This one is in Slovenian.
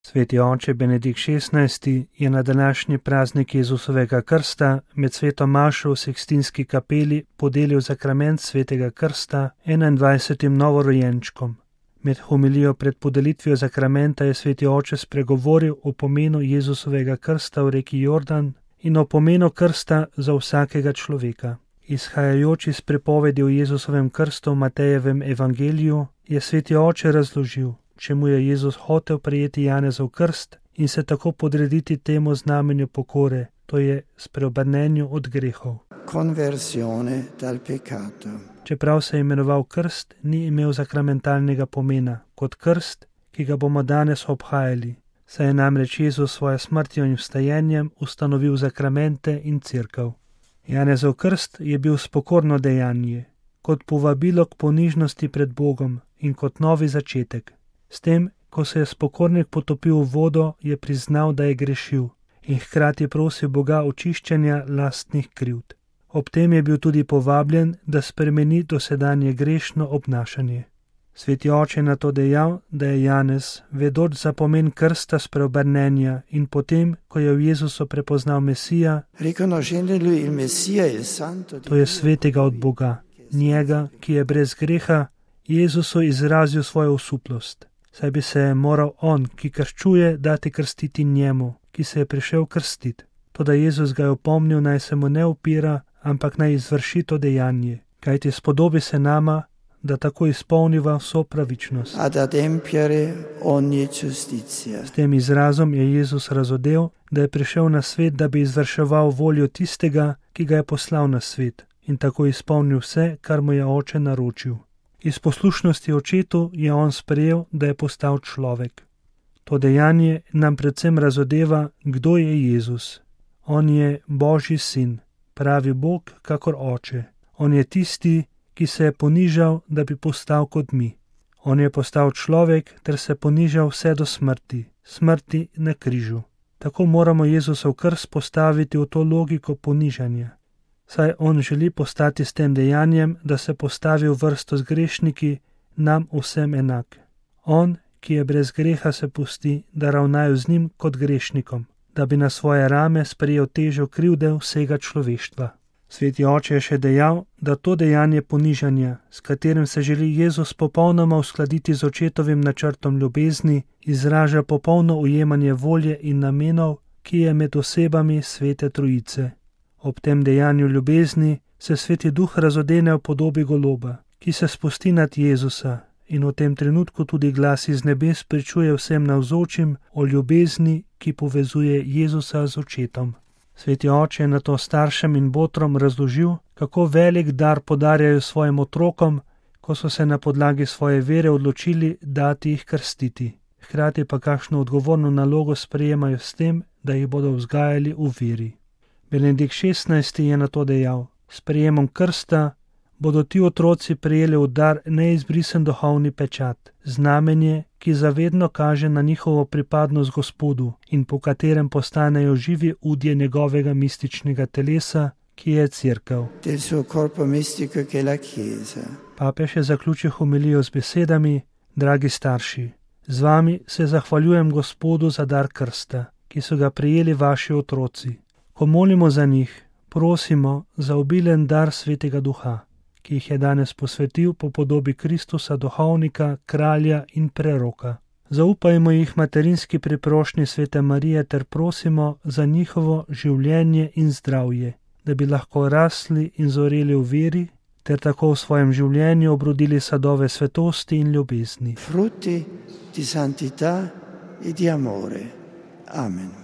Sveti oče Benedikt XVI je na današnji praznik Jezusovega krsta med sveto mašo v Sikstinski kapeli podelil zakrament svetega krsta 21 novorojenčkom. Med homilijo pred podelitvijo zakramenta je sveti oče spregovoril o pomenu Jezusovega krsta v reki Jordan in o pomenu krsta za vsakega človeka. Izhajajoč iz pripovedi o Jezusovem krstu v Matejevem evangeliju je sveti oče razložil, čemu je Jezus hotel prejeti Janezov krst in se tako podrediti temu znamenju pokore, to je spreobrnenju od grehov. Conversione dal peccato. Čeprav se je imenoval krst, ni imel sakramentalnega pomena kot krst, ki ga bomo danes obhajali, saj je namreč Jezus svojo smrtjo in vstajenjem ustanovil sakramente in cerkev. Janezov krst je bil spokorno dejanje, kot povabilo k ponižnosti pred Bogom in kot novi začetek. S tem, ko se je spokornik potopil v vodo, je priznal, da je grešil in hkrati prosil Boga očiščenja lastnih krivd. Ob tem je bil tudi povabljen, da spremeni dosedanje grešno obnašanje. Sveti oče je na to dejal, da je Janez, vedoč za pomen krsta spreobrnenja in potem, ko je v Jezusu prepoznal Mesija, to je svetega od Boga, njega, ki je brez greha, Jezusu izrazil svojo osuplost. Saj bi se moral on, ki krščuje, dati krstiti njemu, ki se je prišel krstiti. Toda Jezus ga je opomnil, naj se mu ne upira, ampak naj izvrši to dejanje, kajti spodobi se nama, da tako izpolniva vso pravičnost. S tem izrazom je Jezus razodel, da je prišel na svet, da bi izvrševal voljo tistega, ki ga je poslal na svet, in tako izpolnil vse, kar mu je oče naročil. Iz poslušnosti očetu je on sprejel, da je postal človek. To dejanje nam predvsem razodeva, kdo je Jezus. On je Božji sin, pravi Bog kakor oče. On je tisti, ki se je ponižal, da bi postal kot mi. On je postal človek ter se ponižal vse do smrti, smrti na križu. Tako moramo Jezusov krst postaviti v to logiko ponižanja. Saj on želi postati s tem dejanjem, da se postavi v vrsto z grešniki, nam vsem enak. On, ki je brez greha, se pusti, da ravnajo z njim kot grešnikom, da bi na svoje rame sprejel težo krivde vsega človeštva. Sveti oče je še dejal, da to dejanje ponižanja, s katerim se želi Jezus popolnoma uskladiti z očetovim načrtom ljubezni, izraža popolno ujemanje volje in namenov, ki je med osebami Svete Trojice. Ob tem dejanju ljubezni se Sveti Duh razodene v podobi goloba, ki se spusti nad Jezusa in v tem trenutku tudi glas iz nebes pričuje vsem navzočim o ljubezni, ki povezuje Jezusa z očetom. Sveti oče je nato staršem in botrom razložil, kako velik dar podarjajo svojim otrokom, ko so se na podlagi svoje vere odločili dati jih krstiti. Hkrati pa kakšno odgovorno nalogo sprejemajo s tem, da jih bodo vzgajali v veri. Benedikt XVI je nato dejal, s prejemom krsta bodo ti otroci prejeli v dar neizbrisen duhovni pečat, znamenje, ki zavedno kaže na njihovo pripadnost Gospodu in po katerem postanejo živi udje njegovega mističnega telesa, ki je cerkev. Papež je zaključil homilijo z besedami: Dragi starši, z vami se zahvaljujem Gospodu za dar krsta, ki so ga prejeli vaši otroci. Ko molimo za njih, prosimo za obilen dar Svetega Duha, ki jih je danes posvetil po podobi Kristusa, duhovnika, kralja in preroka. Zaupajmo jih materinski priprošnji Svete Marije ter prosimo za njihovo življenje in zdravje, da bi lahko rasli in zoreli v veri, ter tako v svojem življenju obrodili sadove svetosti in ljubezni. Frutti di santità e di amore. Amen.